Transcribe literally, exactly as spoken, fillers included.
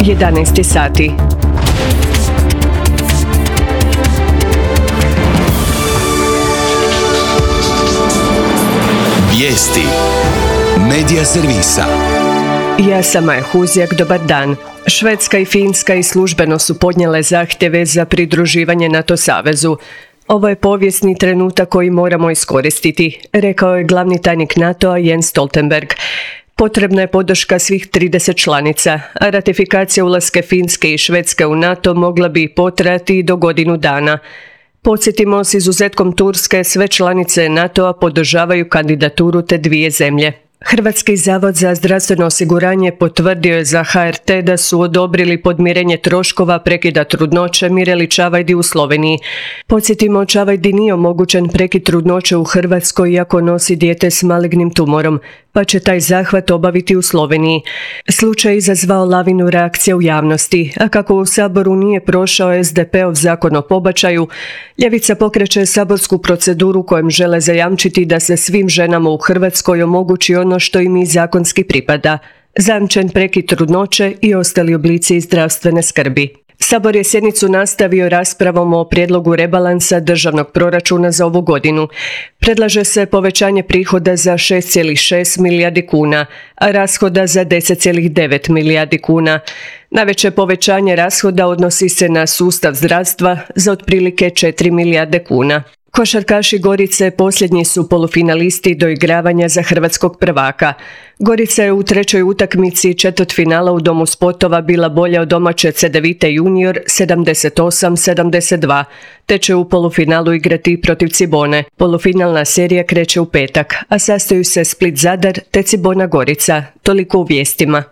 jedanaest sati. Vijesti Medija servisa. Ja sam Maja Huzjak, dobar dan. Švedska i Finska i službeno su podnijele zahtjeve za pridruživanje NATO savezu. Ovo je povijesni trenutak koji moramo iskoristiti, rekao je glavni tajnik NATO-a Jens Stoltenberg. Potrebna je podrška svih trideset članica, a ratifikacija ulaska Finske i Švedske u NATO mogla bi potrajati do godinu dana. Podsjetimo, s izuzetkom Turske, sve članice NATO-a podržavaju kandidaturu te dvije zemlje. Hrvatski zavod za zdravstveno osiguranje potvrdio je za H R T da su odobrili podmirenje troškova prekida trudnoće Mireli Čavajdi u Sloveniji. Podsjetimo, Čavajdi nije omogućen prekid trudnoće u Hrvatskoj iako nosi dijete s malignim tumorom, pa će taj zahvat obaviti u Sloveniji. Slučaj je izazvao lavinu reakcija u javnosti, a kako u Saboru nije prošao S D P-ov zakon o pobačaju, ljevica pokreće saborsku proceduru kojom žele zajamčiti da se svim ženama u Hrvatskoj omogući ono što im i zakonski pripada, zajamčen prekid trudnoće i ostali oblici zdravstvene skrbi. Sabor je sjednicu nastavio raspravom o prijedlogu rebalansa državnog proračuna za ovu godinu. Predlaže se povećanje prihoda za šest zarez šest milijardi kuna, a rashoda za deset zarez devet milijardi kuna. Najveće povećanje rashoda odnosi se na sustav zdravstva za otprilike četiri milijarde kuna. Košarkaši Gorice posljednji su polufinalisti doigravanja za hrvatskog prvaka. Gorica je u trećoj utakmici četvrtfinala u Domu sportova bila bolja od domaće Cedevite junior sedamdeset osam sedamdeset dva, te će u polufinalu igrati protiv Cibone. Polufinalna serija kreće u petak, a sastaju se Split Zadar te Cibona Gorica. Toliko u vijestima.